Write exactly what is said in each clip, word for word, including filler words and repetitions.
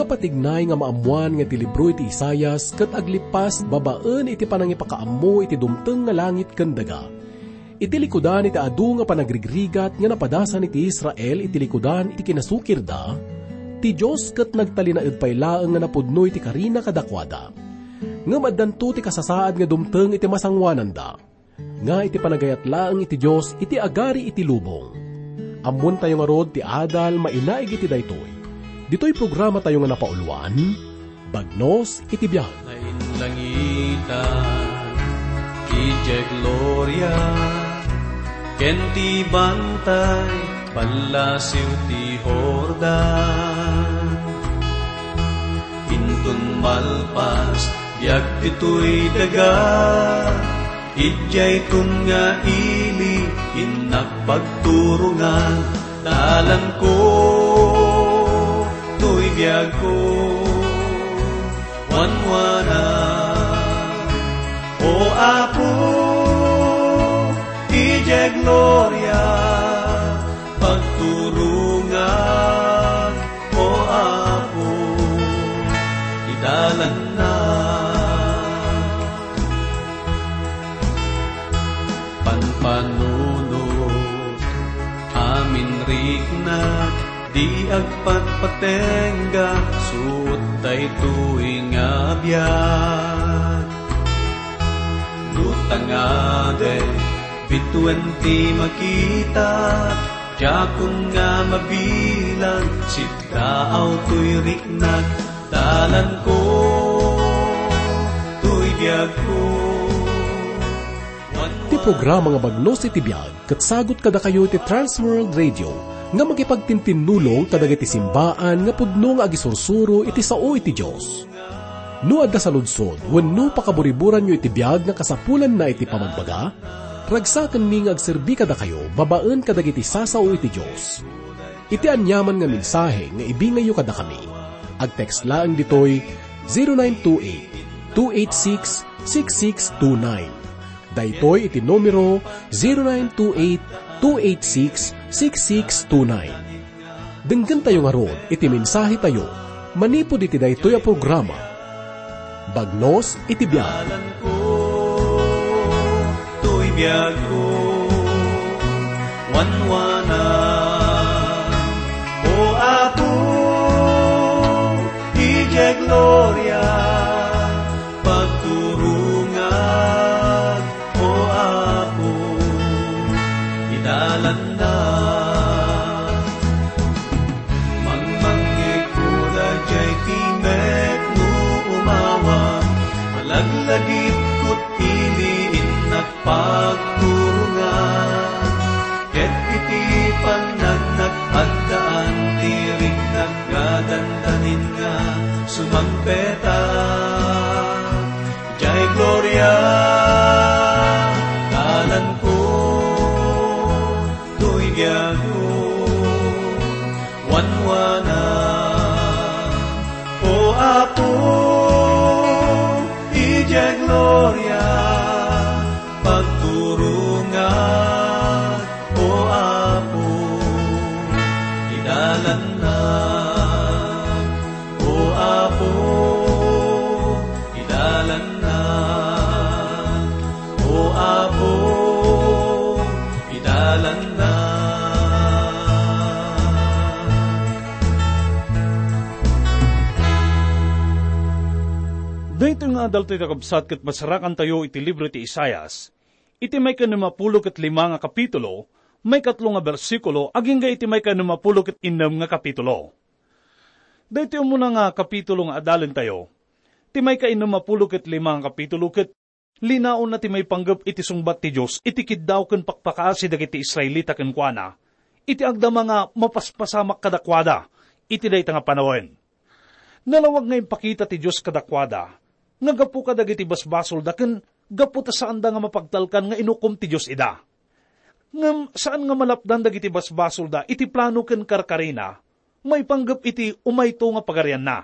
Napatignay nga maammoan nga ti libro iti Isaias ket aglippas babaen iti panangipakaammo iti dumteng nga langit ken daga. Iti likudan iti adu nga panagrigrigat nga napadasan iti Israel iti likudan iti kinasukirda, ti Dios ket nagtalinaed pay laeng nga napudno iti karina kadakuada. Ngem addanto ti kasasaad nga dumteng iti masangoananda, nga iti panagayat laeng iti Dios iti agari iti lubong. Ammoentayo ngarud ti adal mainaig iti daytoy. Ditoy programatayo nga napauluan, Bagnos iti Biag. Nainlangitan, idiay gloria, ken ti bantay, pallasiw ti Jordan. Inton malpas, biag ditoy daga, idiay tunga ili, innak pagturongan, dalanko, toy biagko, wanwana. O Apo, idiay gloria, pagturongan, O Apo, idalanna. Panpanunot, amin riknak, di agpatpatengga, suot daytoy nga biag. No tangade, bituen ti makita, diakon nga mabilang, siddaaw toy riknak, dalanko, toy biagko. Ti programa nga Bagnos iti Biag ket sagut kadakayo ti Trans World Radio nga makipagtintinnulong kadagiti simbaan nga pudno nga agisursuro iti sao iti Dios. No adda saludsod wenno pakaburiburanyo iti biag nga kasapulanna iti pamagbaga, ragsakenmi nga agserbi kadakayo babaen kadagiti sasao iti Dios. Iti aniaman nga mensahe nga ibingayyo kadakami, agtext laeng ditoy zero nine two eight, two eight six, six six two nine. Daytoy iti numero, zero nine two eight, two eight six, six six two nine. Denggentayo ngarud iti mensahetayo manipud iti daytoy a programa, Bagnos iti Biag. Toy biagko, wanwana. O Apo, idiay gloria, pagturongan, O Apo, idalanna. Mangmangngegko daydiay timek no umawa, malaglagipko ti ili, innak pagturongan. Ket iti panagnak, addaan ti riknak nga dandanin nga sumangpet. Jay gloria, dalanko, toy biagko, wanwana. O Apo, idiay gloria, pagturongan, O Apo, idalanna. O Apo, idalanna. O Apo, idalanna. Daytoy nga adal toy kakabsat ket masarakantayo iti libro ti Isaias, iti maikanem a pulo ket lima nga kapitulo, maikatlo nga bersikulo, agingga iti maikanem a pulo ket innem nga kapitulo. Daytoy umuna nga kapitulo nga adalentayo, ti maikainnem a pulo ket lima nga kapitulo, ket linaonna ti maipanggep iti sungbat ti Dios iti kiddaw ken pakpakaasi dagiti Israelita kenkuana, iti agdama nga mapaspasamak kadakuada iti dayta nga panawen. Nalawag nga impakita ti Dios kadakuada nga gapu kadagiti basbasolda ken gapu ta saanda nga mapagtalkan nga inukom ti Dios ida. Ngem saan nga malapdan dagiti basbasolda iti plano ken karkarina maipanggep iti umayto nga pagarianna.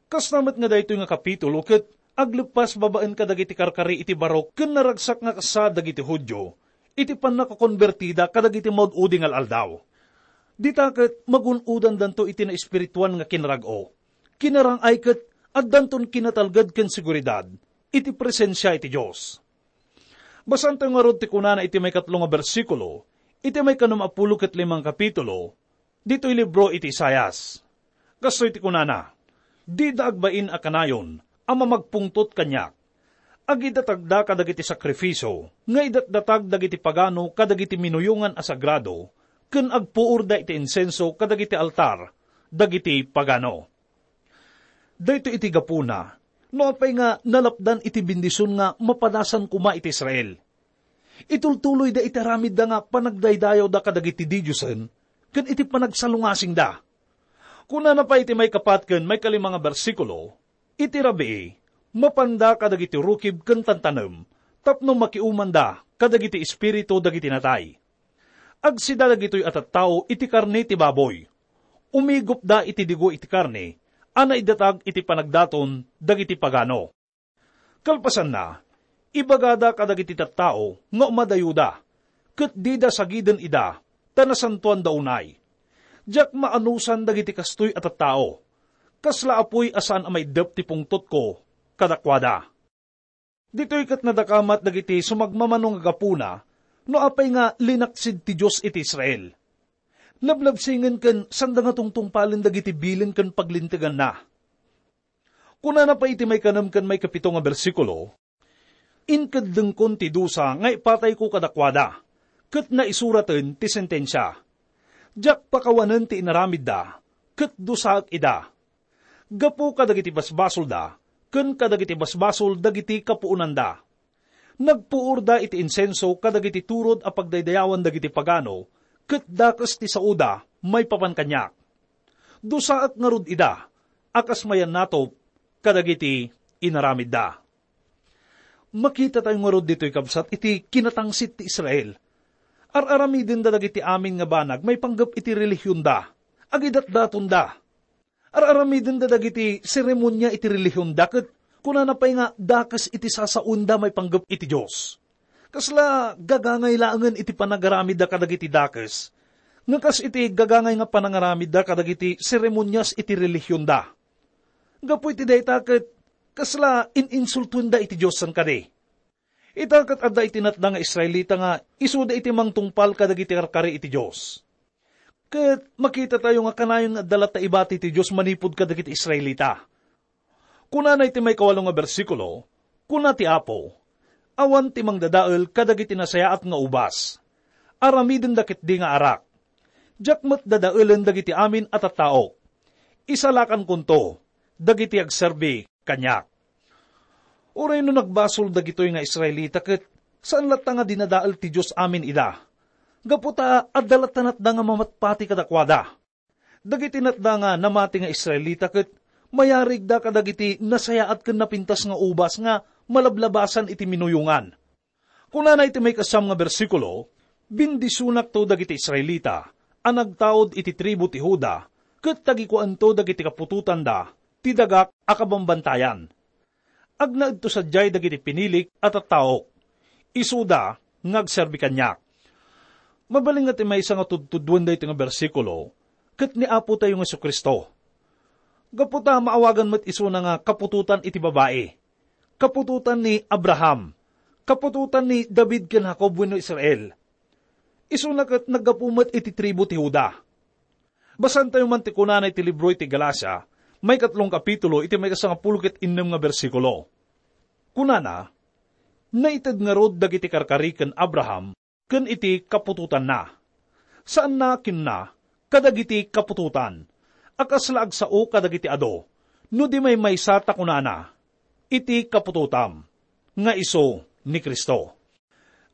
Kasta met nga daytoy nga kapitulo ket agleppas babaen kadagiti karkari iti barok ken naragsak nga kasta dagiti Judio iti pannakakonbertida kadagiti maud-udi nga al-aldaw. Dita ket magun-odandanto iti naespirituan nga kinarag-o. kinarang-ay ket addanton kinatalged ken seguridad iti presensia iti Dios. Basaentayo ngarud ti kunana iti maikatlo nga bersikulo iti maikanom a pulo ket lima nga kapitulo ditoy libro iti Isaias. Kastoy ti kunana, "Dida agbain a kanayon a mamagpungtot kaniak. Agidatagda kadagiti sakrifisio nga idatdatag dagiti pagano kadagiti minuyongan a sagrado, ken agpuorda iti insenso kadagiti altar dagiti pagano." Daytoy iti gapuna no apay nga nalapdan iti bendision nga mapadasan koma iti Israel. Itultuloyda iti aramidda nga panagdaydayawda kadagiti didiosen ken iti panagsalungasingda. Kunana pay iti maikapat ken maikalima nga bersikulo, "Iti rabii, mapanda kadagiti rukib ken tantanem tapno makiumanda kadagiti espiritu dagiti natay. Agsida dagitoy a tattao iti karne ti baboy. Umigupda iti digo iti karne a naidatag iti panagdaton dagiti pagano." Kalpasanna, ibagada kadagiti tattao nga umadayoda, ket dida sagiden ida, ta nasantoanda unay. Diak maanusan dagiti kastoy a tattao. Kasla apuy a saan a maiddep ti pungtotko kadakuada. Ditoy ket nadakamat dagiti sumagmamano nga gapuna no apay nga linaksid ti Dios iti Israel. Lablabsingen ken sanda nga tungtungpalen dagiti bilin ken paglinteganna. Kunana pay iti maikanem ken maikapito nga bersikulo, "Inkeddengkon ti dusa nga ipatayko kadakuada, ket naisuraten ti sentensia. Diak pakawanen ti inaramidda, ket dusaek ida. Gapu kadagiti basbasolda, ken kadagiti basbasol dagiti kapuonanda. Nagpuorda iti insenso kadagiti turod a pagdaydayawan dagiti pagano, ket dakes ti saoda maipapan kaniak. Dusaek ngarud ida, a kas mayannatop kadagiti inaramidda." Makitatayo ngarud ditoy, kabsat, iti kinatangsit ti Israel. Ar-aramidenda dagiti amin nga banag maipanggep iti relihionda. Agidatdatonda. Ar-aramidenda dagiti seremonia iti relihionda, ket kunana pay nga dakes iti sasaonda maipanggep iti Dios. Kasla gagangay laengen iti panagaramidda kadagiti dakes, nga kas iti gagangay nga panangaramidda kadagiti seremonias iti relihionda. Gapu iti dayta ket kasla in-insultoenda iti Dios, saan kadi? Ita ket adda iti natda nga Israelita nga isuda iti mangtungpal kadagiti karkari iti Dios. Ket makitatayo nga kanayon nga adda latta ibati ti Dios manipud kadagiti Israelita. Kunana iti maikawalo nga bersikulo, "Kuna ti Apo, 'Awan ti mangdadael kadagiti nasayaat nga ubas. Aramidenda ketdi nga arak. Diak met dadaelen dagiti amin a tattaok. Isalakankonto dagiti agserbi kaniak.'" Uray no nagbasol dagitoy nga Israelita, ket saan latta nga dinadael ti Dios amin ida. Gapu ta adda latta natda nga mamatpati kadakuada. Dagiti natda nga namati nga Israelita ket mayarigda kadagiti nasayaat ken napintas nga ubas nga malablabasan iti minuyongan. Kunana iti maikasam nga bersikulo, "Bendisionakto dagiti Israelita a nagtaud iti tribu ti Juda, ket tagikuanto dagiti kaputotanda ti dagak a kabambantayan. Agnaedto sadiay dagiti pinilik a tattaok. Isuda nga agserbi kaniak." Mabalin nga ti maysa nga tudtuduenda iti nga bersikulo ket ni Apo tayo nga Jesu-Cristo. Gapu ta maawagan met isuna nga kaputotan iti babai, kaputotan ni Abraham, kaputotan ni David ken Jacob wenno Israel. Isuna ket naggapu met iti tribu ti Juda. Basaentayo man ti kunana iti libro iti Galacia, maikatlong kapitulo, iti maikasangapulo ket innem nga bersikulo. Kunana, "Naited ngarud dagiti karkari ken Abraham ken iti kaputotanna. Saanna kinuna kadagiti kaputotan a kasla agsao kadagiti adu, no di maymaysa ta kunana, 'Iti kaputotam,' nga isu ni Cristo."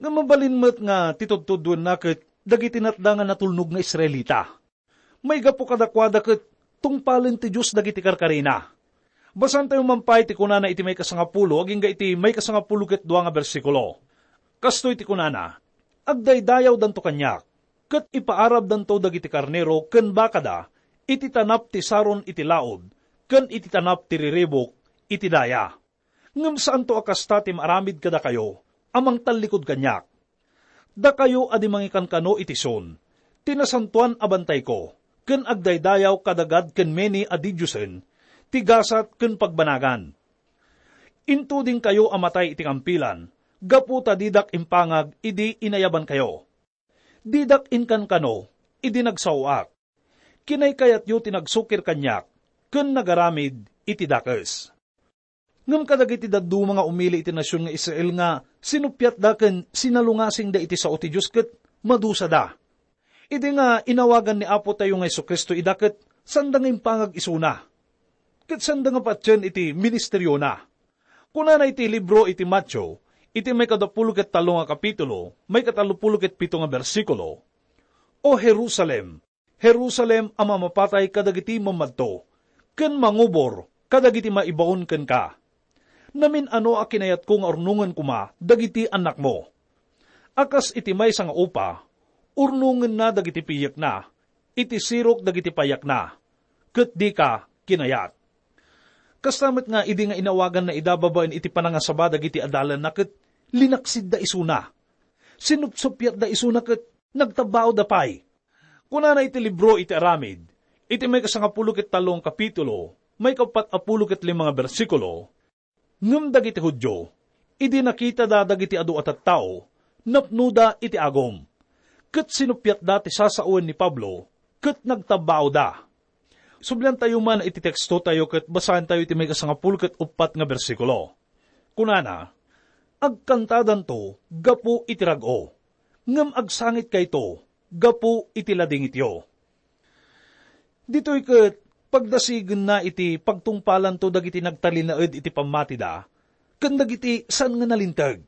Nga mabalin met nga ti tudtuduenna ket dagiti natda nga natulnog nga Israelita. Maigapu kadakuada ket tungpalen ti Dios dagiti karkarina. Basaentayo man pay ti kunana iti maikasangapulo agingga iti maikasangapulo ket dua nga bersikulo. Kastoy ti kunana, "Agdaydayawdanto kaniak, ket ipaarabdanto dagiti karnero ken bakada iti tanap ti Saron iti laud ken iti tanap ti riribuk iti daya. Ngem saanto a kasta ti maaramid kadakayo a mangtallikud kaniak. Dakayo a di mangikankano iti Sion, ti nasantoan a bantayko, ken agdaydayaw kada Gad ken Mene a didiosen, ti gasat ken pagbanagan. Intudingkayo a matay iti kampilan, gapu ta didak impangag idi inayabankayo. Didak inkankano idi nagsaoak. Kinaykayatyo ti nagsukir kaniak ken nagaramid iti dakes. Ngem kadagiti dadduma nga umili iti nasion nga Israel nga sinuppiatda ken sinalungasingda iti sao ti Dios ket madusada. Idi nga inawagan ni Apotayo nga Jesu-Cristo ida ket sanda nga impangag isuna. Ket sanda nga patien iti ministeriona. Kunana iti libro iti Mateo, iti maikadapulo ket tallo nga kapitulo, maikatallopulo ket pito nga bersikulo, "O Jerusalem, Jerusalem a mamapatay kadagiti mamadto, ken mangubor kadagiti maibaon kenka. Namin-ano a kinayatko nga urnongen koma dagiti annakmo. A kas iti maysa nga upa, urnongenna dagiti piyekna, iti sirok dagiti payakna, ket dika kinayat." Kasta met nga idi nga inawaganna ida babaen iti panangasaba dagiti adalanna ket linaksidda isuna. Sinupsuppiatda isuna ket nagtabbaawda pay. Kunana iti libro iti Aramid, iti maikasangapulo ket tallo nga kapitulo, maikapat a pulo ket lima nga bersikulo, "Ngem dagiti Judio, idi nakitada dagiti adu a tattao, napnoda iti agum, ket sinuppiatda ti sasaoen ni Pablo, ket nagtabbaawda." Subliantayo man iti tekstotayo ket basaentayo iti maikasangapulo ket uppat nga bersikulo. Kunana, "Agkantadanto gapu iti rag-o, ngem agsangitkayto gapu iti ladingityo." Ditoy ket pagdasigenna iti pagtungpalanto dagiti nagtalinaed iti pammatida ken dagiti saan nga nalinteg,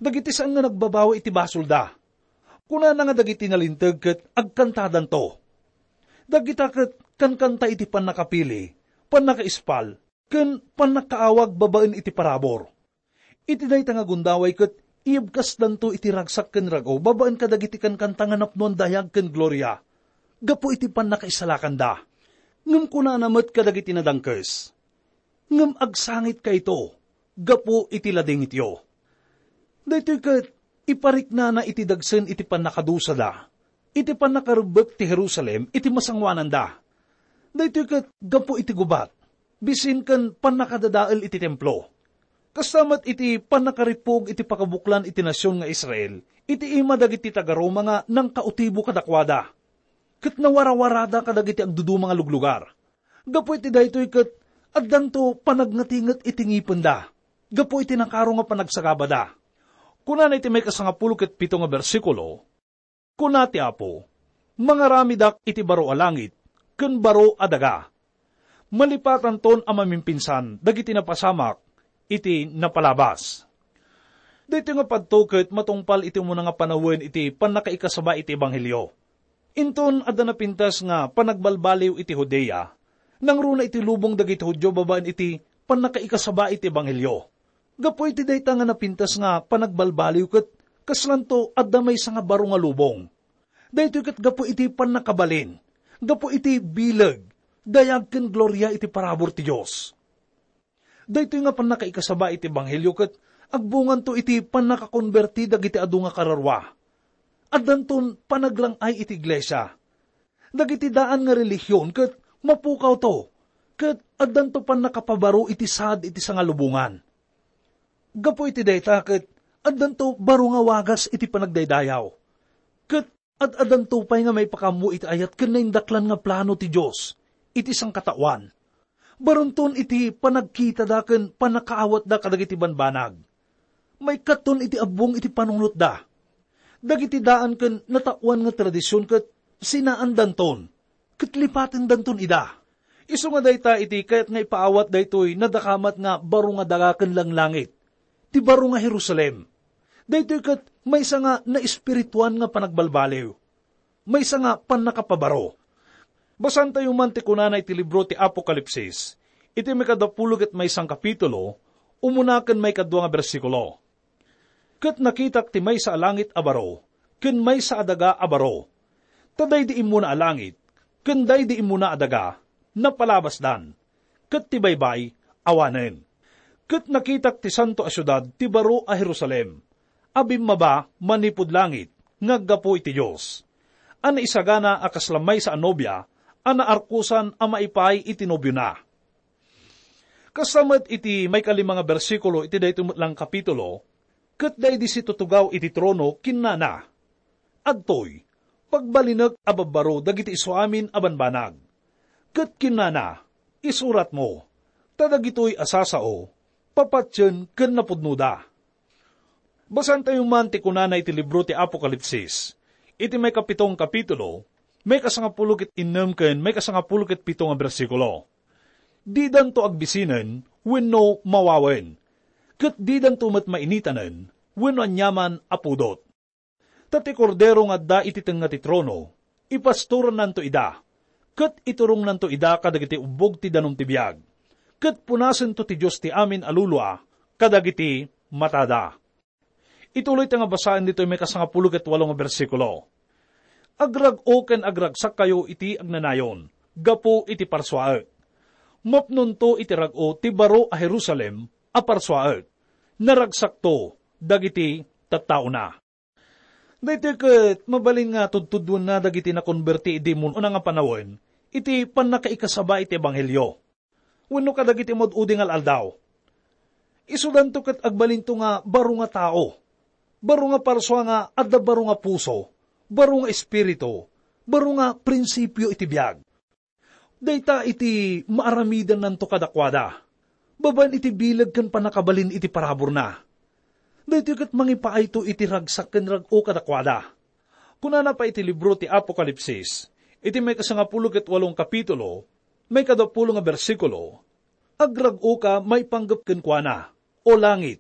dagiti saan nga nagbabawi iti basolda. Kunana nga dagiti nalinteg ket agkantadanto. Dagita ket kankanta iti pannakapili, pannakaispal, ken pannakaawag babaen iti parabur. Iti dayta nga gundaway ket iyebkasdanto iti ragsak ken rag-o babaen kadagiti kankanta nga napnoan dayag ken gloria gapu iti pannakaisalakanda. Ngem kunana met kadagiti nadangkes, "Ngem agsangitkayto gapu iti ladingityo." Daytoy ket ipariknana iti dagsen iti pannakadusada, iti pannakarebbek ti Jerusalem iti masangoananda. Daytoy ket gapu iti gubat, bisin ken pannakadadael iti templo. Kasta met iti pannakarippug iti pakabuklan iti nasion nga Israel, iti ima dagiti taga-Roma nga nangkautibo kadakuada. Ket nawarawarada kadagiti agduduma nga luglugar. Gapu iti daytoy ket addanto panagnatinget iti ngipenda gapu iti nakaro nga panagsagabada. Kunana iti maikasangapulo ket pito nga bersikulo, Kuna ti Apo, "Mangaramidak iti baro a langit ken baro a daga. Malipatanton a mamimpinsan dagiti napasamak iti napalabas." Daytoy nga padto ket matungpal iti umuna nga panawen iti pannakaikasaba iti ebanghelio. Inton adda napintas nga panagbalbaliw iti Judea, nangruna iti lubong dagiti Judio babaen iti pannakaikasaba iti ebanghelio. Gapu iti dayta nga napintas nga panagbalbaliw ket kaslanto adda maysa nga baro nga lubong. Daytoy ket gapu iti pannakabalin, gapu iti bileg, dayag ken gloria iti parabur ti Dios. Daytoy nga pannakaikasaba iti ebanghelio ket agbunganto iti pannakakonberti dagiti adu nga kararua. Addanton panaglang-ay iti iglesia. Dagiti daan nga relihion ket mapukawto, ket addanto pannakapabaro iti saad iti sangalubongan. Gapu iti dayta ket addanto baro nga wagas iti panagdaydayaw. Ket ad-addanto pay nga maipakaammo iti ayat ken naindaklan nga plano ti Dios iti sangkataoan. Baronton iti panagkitada ken pannakaawatda kadagiti banbanag. Maikkaton iti abbong iti panunotda. Dagiti daan ken nataoan nga tradision ket sinaandanton, ket lipatendanton ida. Isu nga dayta iti kayat nga ipaawat daytoy nadakamat nga baro nga daga ken langlangit, ti baro nga Jerusalem. Daytoy ket maysa nga naespirituan nga panagbalbaliw, maysa nga pannakapabaro. Basaentayo man ti kunana iti libro ti Apokalipsis, iti maikadapulo ket maysa nga kapitulo, umuna ken maikadua nga bersikulo. Ket nakitak ti maysa a langit a baro ken maysa a daga a baro. Ta daydi immuna a langit ken daydi immuna a daga napalabasdan, ket ti baybay awanen. Ket nakitak ti santo a siudad, ti baro a Jerusalem, a bimmaba manipud langit nga aggapu iti Dios, a naisagana a kasla maysa a nobia a naarkosan a maipaay iti nobiona. Kasta met iti maikalima nga bersikulo iti daytoy met lang kapitulo, ket daydi situtugaw iti trono, kinnana, "Adtoy, pagbalinek a babbaro dagiti isuamin a banbanag." Ket kinnana, "Isuratmo, ta dagitoy a sasao, papatien ken napudnoda." Basaentayo man ti kunana iti libro ti Apokalipsis, iti maikapito nga kapitulo, maikasangapulo ket innem ken maikasangapulo ket pito nga bersikulo. "Didanto agbisinen wenno mawawen, ket didanto met mainitanen wenno aniaman a pudot. Ta ti Kordero nga adda iti tengnga ti trono, ipastorannanto ida, ket iturongnanto ida kadagiti ubbog ti danum ti biag, ket punasento ti Dios ti amin a lulua kadagiti matada." Ituloy ta nga basaen ditoy maikasangapulo ket walo nga bersikulo. "Agrag-o ken agragsakkayo iti agnanayon gapu iti parsuaek. Mapnonto iti rag-o ti baro a Jerusalem a parsuaek. Naragsakto dagiti tattaona." Daytoy ket mabalin nga tudtuduenna dagiti nakonberti idi mun-una nga panawen iti pannakaikasaba iti ebanghelio wenno kadagiti maud-udi nga al-aldaw. Isudanto ket agbalinto nga baro nga tao, baro nga parsua nga adda baro nga puso, baro nga espiritu, baro nga prinsipio iti biag. Dayta iti maaramidennanto kadakuada, babaen iti bileg ken pannakabalin iti paraburna. Daytoy ket mangipaayto iti ragsak ken rag-o kadakuada. Kunana pay iti libro ti Apokalipsis, iti maikasangapulo ket walo nga kapitulo, maikadapulo nga bersikulo, "Agrag-oka maipanggep kenkuana, O langit,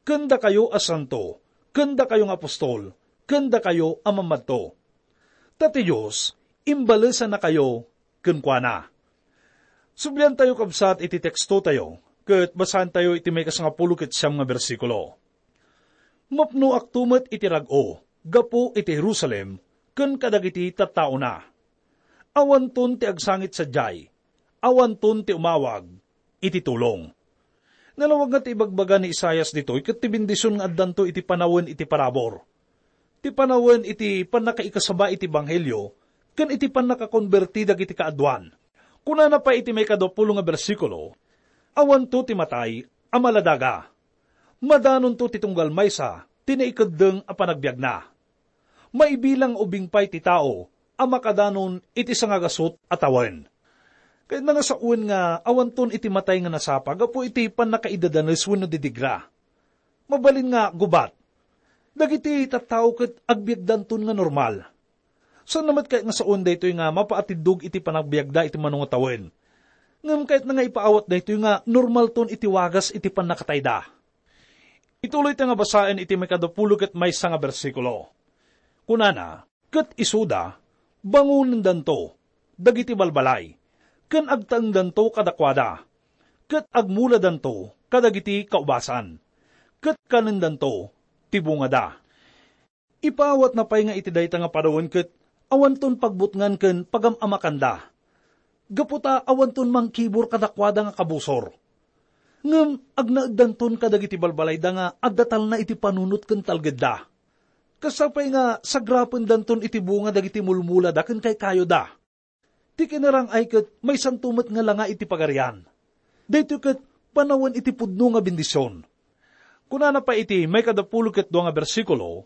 ken dakayo a santo, ken dakayo nga apostol, ken dakayo a mammadto. Ta ti Dios imbalesannakayo kenkuana." Subliantayo, kabsat, iti tekstotayo, ket basaentayo iti maikasangapulo ket siam nga bersikulo. "Mapnoakto met iti rag-o gapu iti Jerusalem ken kadagiti tattaona. Awanton ti agsangit sadiay, awanton ti umawag iti tulong." Nalawag nga ti ibagbaga ni Isaias ditoy ket ti bendision nga addanto iti panawen iti parabur, ti panawen iti pannakaikasaba iti ebanghelio ken iti pannakakonberti dagiti kaaduan. Kunana pay iti maikadapulo nga bersikulo, "Awanto ti matay a maladaga. Madanonto ti tunggal maysa ti naikeddeng a panagbiagna. Maibilang nga ubing pay ti tao a makadanon iti sangagasut a tawen." Kayatna nga sawen nga awanton iti matay nga nasapa gapu iti pannakaidadanes wenno didigra. Mabalin nga gubat. Dagiti tattao ket agbiagdanton nga normal. Saan met kayat nga sawen daytoy nga mapaatiddog iti panagbiagda iti mano nga tawen. Ngem kayatna nga ipaawat daytoy nga normalton iti wagas iti pannakatayda. Ituloy ta nga basaen iti maikadapulo ket maysa nga bersikulo. Kunana, "Ket isuda, bangonendanto dagiti balbalay, ken agtaengdanto kadakuada, ket agmuladanto kadagiti kaubasan, ket kanendanto ti bungada." Ipaawatna pay nga iti dayta nga panawen ket awanton pagbutngan ken pagam-amakanda, gapu ta awanton mangkibur kadakuada nga kabusor. Ngem agnaeddanton kadagiti balbalayda nga adda talna iti panunot ken talgedda. Kasta pay nga sagrapendanton iti bunga dagiti mulmulada ken kaykayoda. Ti kinarang-ay ket maysanto met nga langa iti Pagarian. Daytoy ket panawen iti pudno nga bendision. Kunana pay iti maikadapulo ket dua nga bersikulo,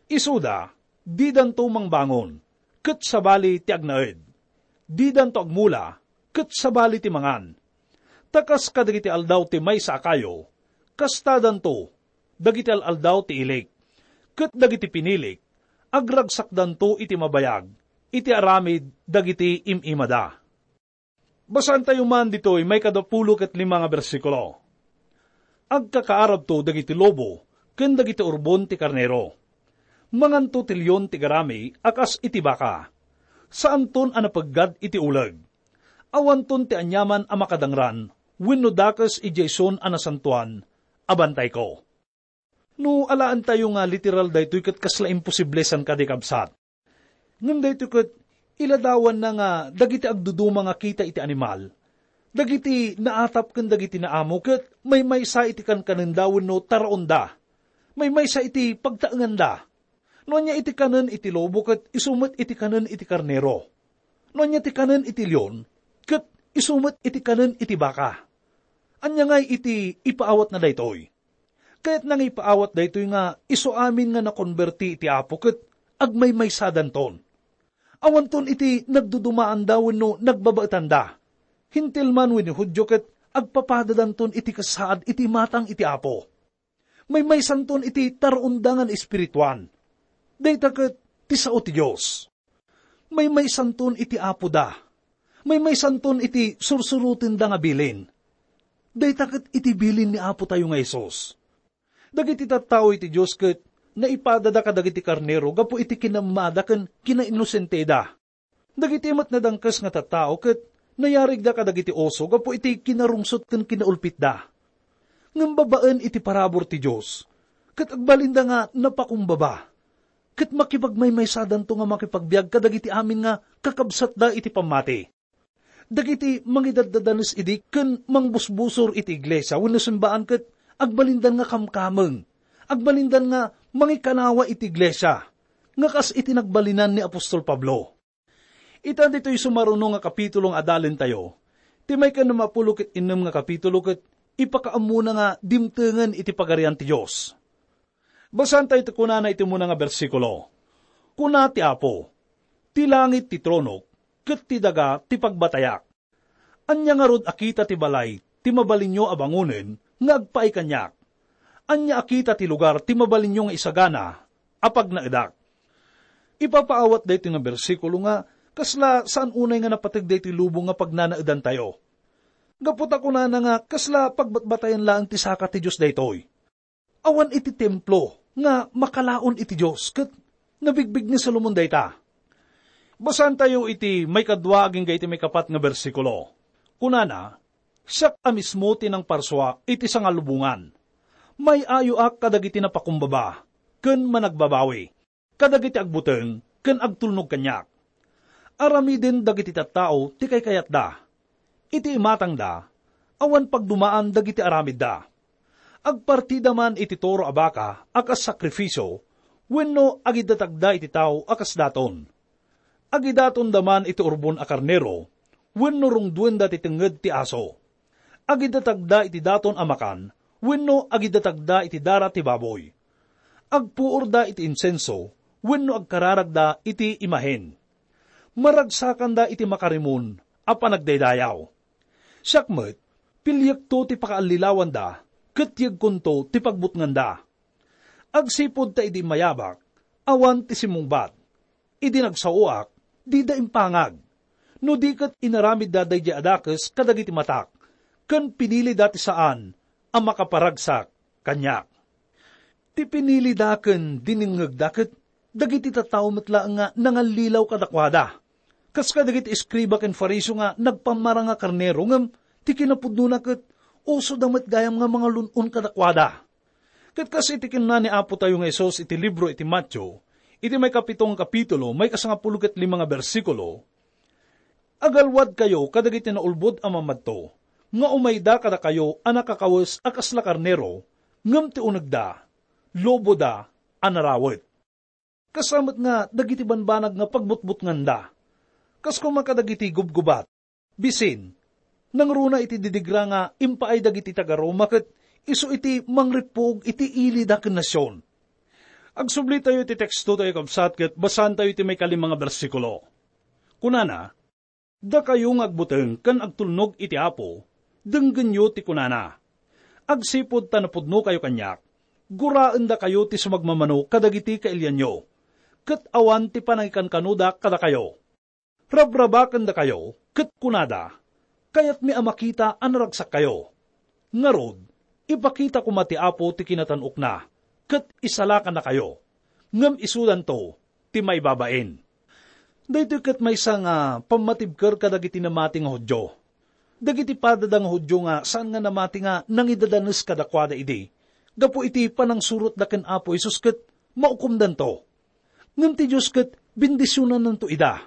"Isuda, didanto mangbangon, ket sabali ti agnaed. Didanto agmula, ket sabali ti mangan. Ta kas kadagiti aldaw ti maysa a kayo, kastadanto dagiti al-aldaw ti ilik, ket dagiti pinilik, agragsakdanto iti mabayag iti aramid dagiti im-imada." Basaentayo man ditoy maikadapulo ket lima nga bersikulo. "Agkakaarabto dagiti lobo ken dagiti urbon ti karnero. Manganto ti leon ti garami a kas iti baka. Saanton a napeggad iti uleg. Awanton ti aniaman a makadangran wenno dakes idiay Sion a nasantoan a bantayko." No alaentayo nga literal daytoy ket kasla imposible san kadi, kabsat. Ngem daytoy ket iladawanna nga dagiti agduduma nga kita iti animal, dagiti naatap ken dagiti naamo ket maymaysa iti kankanenda wenno taraonda, maymaysa iti pagtaenganda. No ania iti kanen iti lobo ket isu met iti kanen iti karnero. No ania ti kanen iti leon ket isu met iti kanen iti baka. Ania ngay iti ipaawatna daytoy? Kayatna nga ipaawat daytoy nga isu amin nga nakonberti iti Apo ket agmaymaysadanton. Awanton iti nagdudumaanda wenno nagbabaetanda. Hentil man wenno Judio ket agpapadadanton iti kasaad iti imatang iti Apo. Maymaysanton iti taruonda nga naespirituan. Dayta ket ti sao ti Dios. Maymaysanton iti Apoda. Maymaysanton iti sursurotenda nga bilin. Dayta ket iti bilin ni Apotayo nga Jesus. Dagiti tattao iti Dios ket naipadada kadagiti karnero gapu iti kinaammada ken kinainnosenteda. Dagiti met nadangkes nga tattao ket nayarigda kadagiti oso gapu iti kinarungsot ken kinaulpitda. Ngem babaen iti parabur ti Dios, ket agbalinda nga napakumbaba, ket makipagmaymaysadanto nga makipagbiag kadagiti amin nga kakabsatda iti pammati. Dagiti mangidaddadanes idi ken mangbusbusor iti iglesia wenno simbaan ket agbalindan nga kamkameng, agbalindan nga mangikanawa iti iglesia, nga kas iti nagbalinan ni apostol Pablo. Ita ditoy sumaruno nga kapitulo nga adalentayo, ti maikannamapulo ket innem nga kapitulo ket ipakaammona nga dimtengen iti Pagarian ti Dios. Basaentayo ti kunana iti umuna nga bersikulo. Kuna ti Apo, "Ti langit ti tronok, ket ti daga ti pagbatayak. Ania ngarud a kita ti balay ti mabalinyo a bangonen nga agpaay kaniak? Ania a kita ti lugar ti mabalinyo nga isagana a pagnaedak?" Ipapaawat daytoy nga bersikulo nga kasla saan unay nga napateg daytoy lubong nga pagnanaedantayo. Gapu ta kunana nga kasla pagbatbatayan laeng ti saka ti Dios daytoy. Awan iti templo nga makalaon iti Dios, ket nabigbig ni Solomon dayta. Basaentayo iti maikadua agingga iti maikapat nga bersikulo. Kunana, "Siak a mismo ti nangparsua iti sangalubongan. May-ayoak kadagiti napakumbaba ken managbabawi, kadagiti agbuteng ken agtulnog kaniak. Aramiden dagiti tattao ti kaykayatda. Iti imatangda, awan pagdumaan dagiti aramidda. Agpartida man iti toro a baka a kas sakrifisio wenno agidatagda iti tao a kas daton. Agidatonda man iti urbon a karnero wenno rungduenda ti tengnged ti aso. Agidatagda iti daton a makan wenno agidatagda iti dara ti baboy. Agpuorda iti insenso wenno agkararagda iti imahen. Maragsakanda iti makarimon a panagdaydayaw. Siak met, piliekto ti pakaallilawanda ket yegkonto ti pagbutnganda. Agsipud ta idi mayabak, awan ti simmungbat. Idi nagsaoak, dida impangag. No di ket inaramidda daydiay a dakes kadagiti matak, ken pinilida ti saan a makaparagsak kaniak." Ti pinilida ken dinengngegda ket dagiti tattao met laeng nga nangallilaw kadakuada. Kas kadagiti eskriba ken Fariseo nga nagpammarang a karnero ngem ti kinapudnona ket usoda met gayam nga mangalun-on kadakuada. Ket kas iti kinuna ni Apotayo nga Jesus iti libro iti Mateo, iti maikapito nga kapitulo, maikasangapulo ket lima nga bersikulo, "Agalwadkayo kadagiti naulbod a mamadto, nga umayda kadakayo a nakakawes a kasla karnero, ngem ti unegda, loboda a narawet." Kasta met nga dagiti banbanag nga pagbutbutnganda. Kas koma kadagiti gubgubat. Bisin, nangruna iti didigra nga impaay dagiti taga-Roma ket isu iti mangrippuog iti ilida ken nasion. Agsublitayo iti tekstotayo, kabsat, ket basaentayo iti maikalima nga bersikulo. Kunana, "Dakayo nga agbuteng ken agtulnog iti Apo, denggenyo ti kunana. Agsipud ta napudnokayo kaniak, guraendakayo ti sumagmamano kadagiti kailianyo, ket awan ti panangikankanoda kadakayo. Rabrabakendakayo ket kunada, 'Kayatmi a makita a naragsakkayo.' Ngarud, ipakita koma ti Apo ti kinatan-okna, ket isalakannakayo, ngem isudanto ti maibabain." Daytoy ket maysa nga pammatibker kadagiti namati nga Judio. Dagiti padada nga Judio nga saan nga namati nga nangidadanes kadakuada idi, gapu iti panangsurotda ken Apo Jesus ket maukomdanto. Ngem ti Dios ket bendisionannanto ida.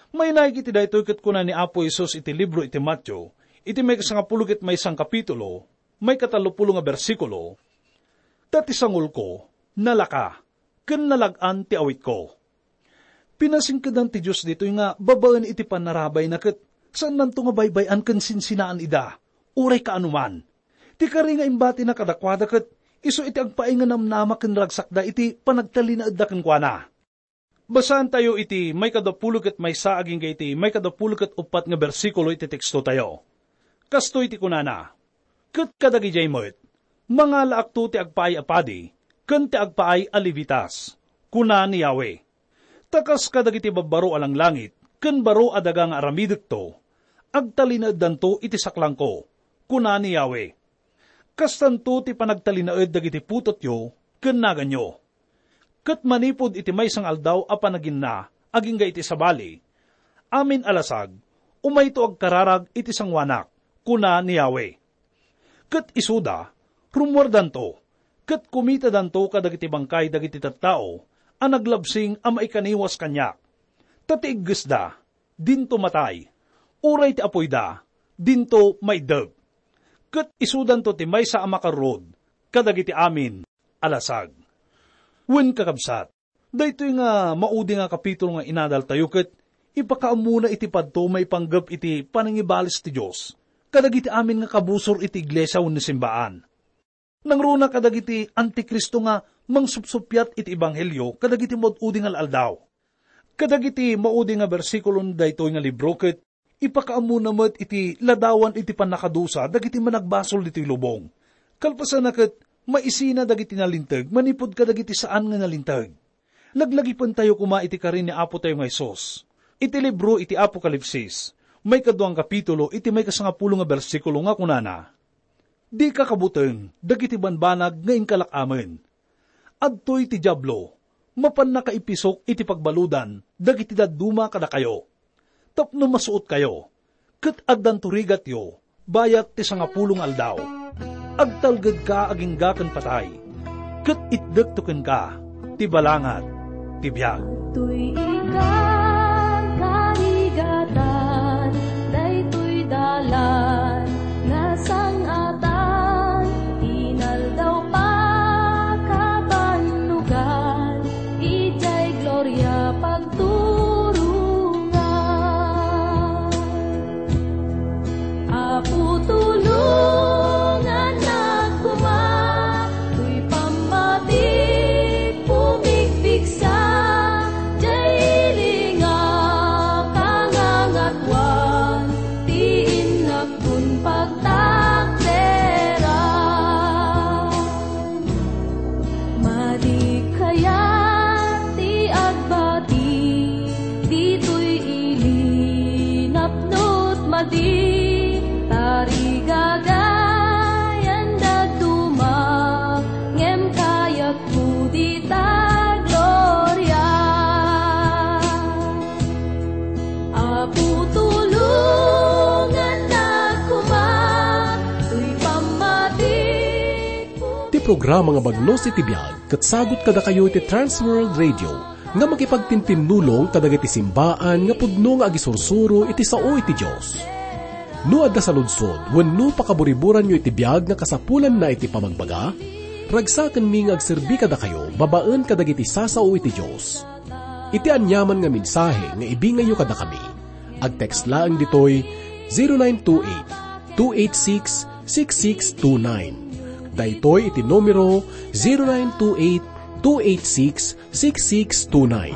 Mainaig iti daytoy ket kuna ni Apo Jesus iti libro iti Mateo, iti maikasangapulo ket maysa nga kapitulo, maikatallopulo nga bersikulo, "Ta ti sangolko, nalaka, ken nalag-an ti awitko." Pinasingkedan ti Dios ditoy nga babaen iti panarabayna ket saannanto nga baybay-an ken sinsinaan ida. uray kaanoman. Ti kari nga imbatina kadakuada ket isu iti agpaay nga namnama ken ragsakda iti panagtalinaedda kenkuana. Basaantayo iti maikadapulo ket maysa agingga iti maikadapulo ket uppat nga bersikulo iti tekstotayo. Kastoy ti kunana, "Ket kadagidiay met, mangalaakto ti agpaay a padi ken ti agpaay a Levitas," kuna ni Yahweh. "Ta kas kadagiti babbaro a langlangit ken baro a daga nga aramidekto, agtalinaeddanto iti saklangko," kuna ni Yahweh. Kastanto ti panagtalinaed dagiti putotyo ken naganyo. Ket manipud iti maysa nga aldaw a panaginna agingga iti sabali, amin a lasag, umayto agkararag iti sangoanak, kuna ni Yahweh. Ket isuda, rummuardanto, ket kumitadanto kadagiti bangkay dagiti tattao a naglabsing a maikaniwas kaniak. Ta ti iggesda, dinto matay, uray ti apoyda, dinto maiddep. Ket isudanto ti maysa a makarrud kadagiti amin a lasag. Wen, kakabsat, daytoy nga maudi nga kapitulo nga inadaltayo ket ipakaammona iti padto maipanggep iti panangibalis ti Dios kadagiti amin nga kabusor iti iglesia wenno simbaan. Nangruna kadagiti antikristo nga mangsupsuppiat iti ebanghelio kadagiti maud-udi nga al-aldaw. Kadagiti maudi nga bersikulo daytoy nga libro ket ipakaammona met iti ladawan iti pannakadusa dagiti managbasol ditoy lubong. Kalpasanna ket maisina dagiti nalinteg manipud kadagiti saan nga nalinteg. Laglagipentayo koma iti kari ni Apotayo nga Jesus. Iti libro iti Apokalipsis, maikadua nga kapitulo, iti maikasangapulo nga bersikulo nga kunana, "Dika kabuteng dagiti banbanag nga inkalak amin. Adtoy ti Diablo, mapanna kaipisok iti pagbaludan dagiti dadduma kadakayo, tapno masuotkayo, ket addanto rigatyo bayat ti sangapulo nga aldaw. Agtalgedka agingga ken patay, ket itdekto kenka ti balangat ti biag." Adtoy ikan karigatan, daytoy dalan nga sang-atan, inaldaw pakabannogan, idiay gloria pagturongan. Apo, tulongannak koma, toy pammatik pumigpigsa, diay ili nga pangangatoan, ti innak kun pagtakderan. Madi kayat ti agbati, ditoy ili napnot madi, tarigagay a dadduma, ngem kayatko dita gloria. Apo, tulongannak koma, toy pammatik. Ti programa nga Bagnos iti Biag ket sagut kadakayo iti Trans World Radio nga makipagtintinnulong kadagiti simbaan nga pudno nga agisursuro iti sao iti Dios. No adda saludsod wenno pakaburiburanyo iti biag nga kasapulanna iti pamagbaga, ragsakenmi nga agserbi kadakayo babaen kadagiti sasao iti Dios. Iti aniaman nga mensahe nga ibingayyo kadakami, agtext laeng ditoy zero nine two eight, two eight six, six six two nine. Daytoy iti numero zero nine two eight, two eight six, six six two nine.